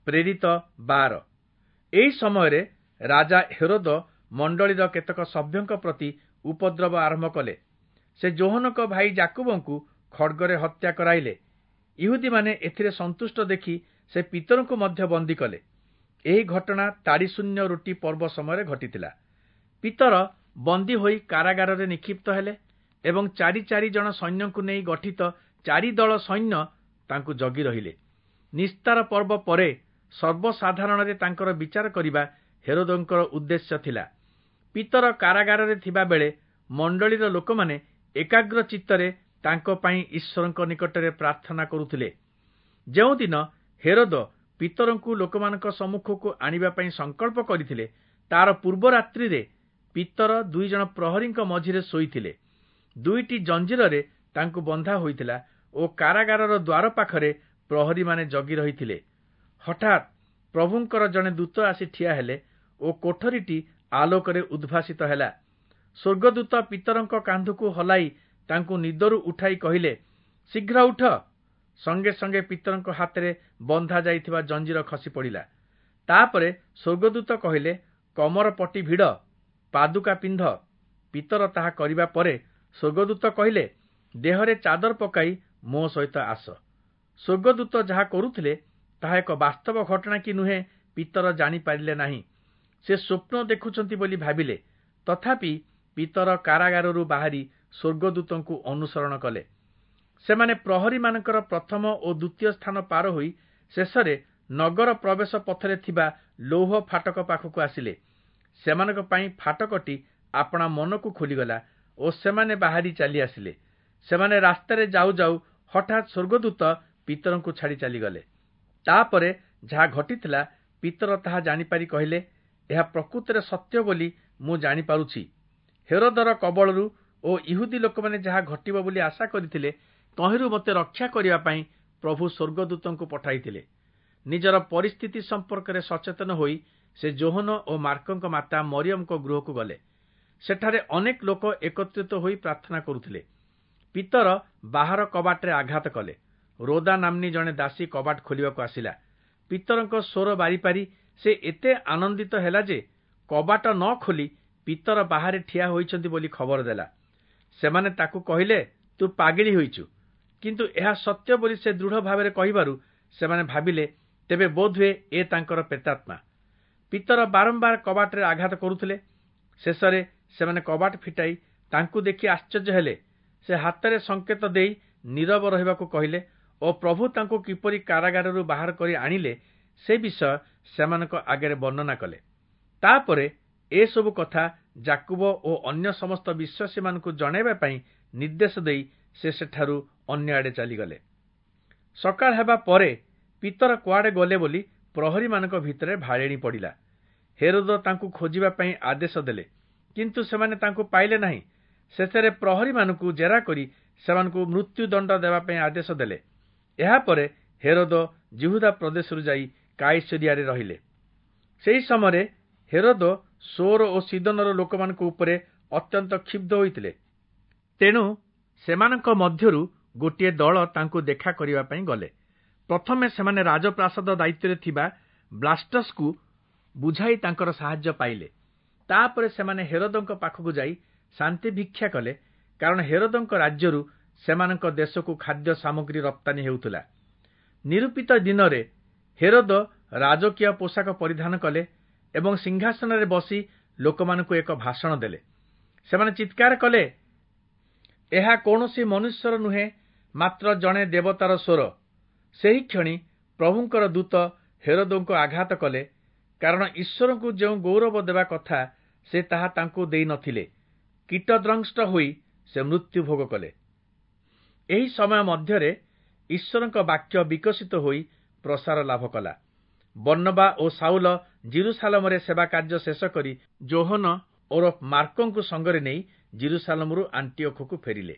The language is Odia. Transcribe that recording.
ପ୍ରେରିତ 12। ଏହି ସମୟରେ ରାଜା ହେରୋଦ ମଣ୍ଡଳୀର କେତେକ ସଭ୍ୟଙ୍କ ପ୍ରତି ଉପଦ୍ରବ ଆରମ୍ଭ କଲେ। ସେ ଯୋହନଙ୍କ ଭାଇ ଯାକୁବଙ୍କୁ ଖଡ୍ଗରେ ହତ୍ୟା କରାଇଲେ। ଇହୁଦୀମାନେ ଏଥିରେ ସନ୍ତୁଷ୍ଟ ଦେଖି ସେ ପିତରଙ୍କୁ ମଧ୍ୟ ବନ୍ଦୀ କଲେ। ଏହି ଘଟଣା ତାଡ଼ିଶୂନ୍ୟ ରୁଟି ପର୍ବ ସମୟରେ ଘଟିଥିଲା। ପିତର ବନ୍ଦୀ ହୋଇ କାରାଗାରରେ ନିକ୍ଷିପ୍ତ ହେଲେ ଏବଂ ଚାରି ଚାରି ଜଣ ସୈନ୍ୟଙ୍କୁ ନେଇ ଗଠିତ ଚାରି ଦଳ ସୈନ୍ୟ ତାଙ୍କୁ ଜଗି ରହିଲେ। ନିସ୍ତାର ପର୍ବ ପରେ ସର୍ବସାଧାରଣରେ ତାଙ୍କର ବିଚାର କରିବା ହେରୋଦଙ୍କର ଉଦ୍ଦେଶ୍ୟ ଥିଲା। ପିତର କାରାଗାରରେ ଥିବା ବେଳେ ମଣ୍ଡଳୀର ଲୋକମାନେ ଏକାଗ୍ର ଚିତ୍ତରେ ତାଙ୍କ ପାଇଁ ଈଶ୍ୱରଙ୍କ ନିକଟରେ ପ୍ରାର୍ଥନା କରୁଥିଲେ। ଯେଉଁଦିନ ହେରୋଦ ପିତରଙ୍କୁ ଲୋକମାନଙ୍କ ସମ୍ମୁଖକୁ ଆଣିବା ପାଇଁ ସଂକଳ୍ପ କରିଥିଲେ, ତାର ପୂର୍ବ ରାତ୍ରିରେ ପିତର 2 ଜଣ ପ୍ରହରୀଙ୍କ ମଝିରେ ଶୋଇଥିଲେ। 2ଟି ଜଞ୍ଜିରରେ ତାଙ୍କୁ ବନ୍ଧା ହୋଇଥିଲା ଓ କାରାଗାରର ଦ୍ୱାର ପାଖରେ ପ୍ରହରୀମାନେ ଜଗି ରହିଥିଲେ। ହଠାତ୍ ପ୍ରଭୁଙ୍କର ଜଣେ ଦୂତ ଆସି ଠିଆ ହେଲେ ଓ କୋଠରୀଟି ଆଲୋକରେ ଉଦ୍ଭାସିତ ହେଲା। ସ୍ୱର୍ଗଦୂତ ପିତରଙ୍କ କାନ୍ଧକୁ ହଲାଇ ତାଙ୍କୁ ନିଦରୁ ଉଠାଇ କହିଲେ, ଶୀଘ୍ର ଉଠ। ସଙ୍ଗେ ସଙ୍ଗେ ପିତରଙ୍କ ହାତରେ ବନ୍ଧା ଯାଇଥିବା ଜଞ୍ଜିର ଖସି ପଡ଼ିଲା। ତାପରେ ସ୍ୱର୍ଗଦୂତ କହିଲେ, କମର ପଟି ଭିଡ଼, ପାଦୁକା ପିନ୍ଧ। ପିତର ତାହା କରିବା ପରେ ସ୍ୱର୍ଗଦୂତ କହିଲେ, ଦେହରେ ଚାଦର ପକାଇ ମୋ ସହିତ ଆସ। ସ୍ୱର୍ଗଦୂତ ଯାହା କରୁଥିଲେ ତାହା ଏକ ବାସ୍ତବ ଘଟଣା କି ନୁହେଁ ପିତର ଜାଣିପାରିଲେ ନାହିଁ। ସେ ସ୍ୱପ୍ନ ଦେଖୁଛନ୍ତି ବୋଲି ଭାବିଲେ। ତଥାପି ପିତର କାରାଗାରରୁ ବାହାରି ସ୍ୱର୍ଗଦୂତଙ୍କୁ ଅନୁସରଣ କଲେ। ସେମାନେ ପ୍ରହରୀମାନଙ୍କର ପ୍ରଥମ ଓ ଦ୍ୱିତୀୟ ସ୍ଥାନ ପାର ହୋଇ ଶେଷରେ ନଗର ପ୍ରବେଶ ପଥରେ ଥିବା ଲୌହ ଫାଟକ ପାଖକୁ ଆସିଲେ। ସେମାନଙ୍କ ପାଇଁ ଫାଟକଟି ଆପଣା ମନକୁ ଖୋଲିଗଲା ଓ ସେମାନେ ବାହାରି ଚାଲି ଆସିଲେ। ସେମାନେ ରାସ୍ତାରେ ଯାଉ ଯାଉ ହଠାତ୍ ସ୍ୱର୍ଗଦୂତ ପିତରଙ୍କୁ ଛାଡ଼ି ଚାଲିଗଲେ। ତାପରେ ଯାହା ଘଟିଥିଲା ପିତର ତାହା ଜାଣିପାରି କହିଲେ, ଏହା ପ୍ରକୃତରେ ସତ୍ୟ ବୋଲି ମୁଁ ଜାଣିପାରୁଛି। ହେରୋଦର କବଳରୁ ଓ ଇହୁଦୀ ଲୋକମାନେ ଯାହା ଘଟିବ ବୋଲି ଆଶା କରିଥିଲେ ତହିଁରୁ ମୋତେ ରକ୍ଷା କରିବା ପାଇଁ ପ୍ରଭୁ ସ୍ୱର୍ଗଦୂତଙ୍କୁ ପଠାଇଥିଲେ। ନିଜର ପରିସ୍ଥିତି ସମ୍ପର୍କରେ ସଚେତନ ହୋଇ ସେ ଯୋହନ ଓ ମାର୍କଙ୍କ ମାତା ମରିୟମଙ୍କ ଗୃହକୁ ଗଲେ। ସେଠାରେ ଅନେକ ଲୋକ ଏକତ୍ରିତ ହୋଇ ପ୍ରାର୍ଥନା କରୁଥିଲେ। ପିତର ବାହାର କବାଟରେ ଆଘାତ କଲେ। ରୋଦା ନାମ୍ନୀ ଜଣେ ଦାସୀ କବାଟ ଖୋଲିବାକୁ ଆସିଲା। ପିତରଙ୍କ ସ୍ୱର ବାରିପାରି ସେ ଏତେ ଆନନ୍ଦିତ ହେଲା ଯେ କବାଟ ନ ଖୋଲି ପିତର ବାହାରେ ଠିଆ ହୋଇଛନ୍ତି ବୋଲି ଖବର ଦେଲା। ସେମାନେ ତାକୁ କହିଲେ, ତୁ ପାଗିଳି ହୋଇଛୁ। କିନ୍ତୁ ଏହା ସତ୍ୟ ବୋଲି ସେ ଦୃଢ଼ ଭାବରେ କହିବାରୁ ସେମାନେ ଭାବିଲେ ତେବେ ବୋଧହୁଏ ଏ ତାଙ୍କର ପ୍ରେତାତ୍ମା। ପିତର ବାରମ୍ବାର କବାଟରେ ଆଘାତ କରୁଥିଲେ। ଶେଷରେ ସେମାନେ କବାଟ ଫିଟାଇ ତାଙ୍କୁ ଦେଖି ଆଶ୍ଚର୍ଯ୍ୟ ହେଲେ। ସେ ହାତରେ ସଂକେତ ଦେଇ ନୀରବ ରହିବାକୁ କହିଲେ ଓ ପ୍ରଭୁ ତାଙ୍କୁ କିପରି କାରାଗାରରୁ ବାହାର କରି ଆଣିଲେ ସେ ବିଷୟ ସେମାନଙ୍କ ଆଗରେ ବର୍ଣ୍ଣନା କଲେ। ତାପରେ ଏସବୁ କଥା ଯାକୁବ ଓ ଅନ୍ୟ ସମସ୍ତ ବିଶ୍ୱାସୀମାନଙ୍କୁ ଜଣାଇବା ପାଇଁ ନିର୍ଦ୍ଦେଶ ଦେଇ ସେ ସେଠାରୁ ଅନ୍ୟ ଆଡ଼େ ଚାଲିଗଲେ। ସକାଳ ହେବା ପରେ ପିତର କୁଆଡ଼େ ଗଲେ ବୋଲି ପ୍ରହରୀମାନଙ୍କ ଭିତରେ ଭାଳେଣି ପଡ଼ିଲା। ହେରୋଦ ତାଙ୍କୁ ଖୋଜିବା ପାଇଁ ଆଦେଶ ଦେଲେ, କିନ୍ତୁ ସେମାନେ ତାଙ୍କୁ ପାଇଲେ ନାହିଁ। ଶେଷରେ ପ୍ରହରୀମାନଙ୍କୁ ଜେରା କରି ସେମାନଙ୍କୁ ମୃତ୍ୟୁଦଣ୍ଡ ଦେବା ପାଇଁ ଆଦେଶ ଦେଲେ। ଏହାପରେ ହେରୋଦ ଯିହୁଦା ପ୍ରଦେଶରୁ ଯାଇ କାଇସରିଆରେ ରହିଲେ। ସେହି ସମୟରେ ହେରୋଦ ସୋର ଓ ସିଦୋନର ଲୋକମାନଙ୍କ ଉପରେ ଅତ୍ୟନ୍ତ କ୍ଷୁବ୍ଧ ହୋଇଥିଲେ। ତେଣୁ ସେମାନଙ୍କ ମଧ୍ୟରୁ ଗୋଟିଏ ଦଳ ତାଙ୍କୁ ଦେଖା କରିବା ପାଇଁ ଗଲେ। ପ୍ରଥମେ ସେମାନେ ରାଜପ୍ରାସାଦ ଦାୟିତ୍ୱରେ ଥିବା ବ୍ଲାଷ୍ଟସକୁ ବୁଝାଇ ତାଙ୍କର ସାହାଯ୍ୟ ପାଇଲେ। ତାପରେ ସେମାନେ ହେରୋଦଙ୍କ ପାଖକୁ ଯାଇ ଶାନ୍ତି ଭିକ୍ଷା କଲେ, କାରଣ ହେରୋଦଙ୍କ ରାଜ୍ୟରୁ ସେମାନଙ୍କ ଦେଶକୁ ଖାଦ୍ୟ ସାମଗ୍ରୀ ରପ୍ତାନୀ ହେଉଥିଲା। ନିରୂପିତ ଦିନରେ ହେରୋଦ ରାଜକୀୟ ପୋଷାକ ପରିଧାନ କଲେ ଏବଂ ସିଂହାସନରେ ବସି ଲୋକମାନଙ୍କୁ ଏକ ଭାଷଣ ଦେଲେ। ସେମାନେ ଚିତ୍କାର କଲେ, ଏହା କୌଣସି ମନୁଷ୍ୟର ନୁହେଁ, ମାତ୍ର ଜଣେ ଦେବତାର ସ୍ୱର। ସେହି କ୍ଷଣି ପ୍ରଭୁଙ୍କର ଦୂତ ହେରୋଦଙ୍କୁ ଆଘାତ କଲେ, କାରଣ ଈଶ୍ୱରଙ୍କୁ ଯେଉଁ ଗୌରବ ଦେବା କଥା ସେ ତାହା ତାଙ୍କୁ ଦେଇନଥିଲେ। କୀଟଦ୍ରଂଷ୍ଟ ହୋଇ ସେ ମୃତ୍ୟୁ ଭୋଗ କଲେ। ଏହି ସମୟ ମଧ୍ୟରେ ଈଶ୍ୱରଙ୍କ ବାକ୍ୟ ବିକଶିତ ହୋଇ ପ୍ରସାର ଲାଭ କଲା। ବର୍ଣ୍ଣବା ଓ ସାଉଲ ଜିରୁସାଲମରେ ସେବା କାର୍ଯ୍ୟ ଶେଷ କରି ଯୋହନ ଓରଫ ମାର୍କଙ୍କୁ ସଙ୍ଗରେ ନେଇ ଜିରୁସାଲମରୁ ଆଣ୍ଟିଓଖକୁ ଫେରିଲେ।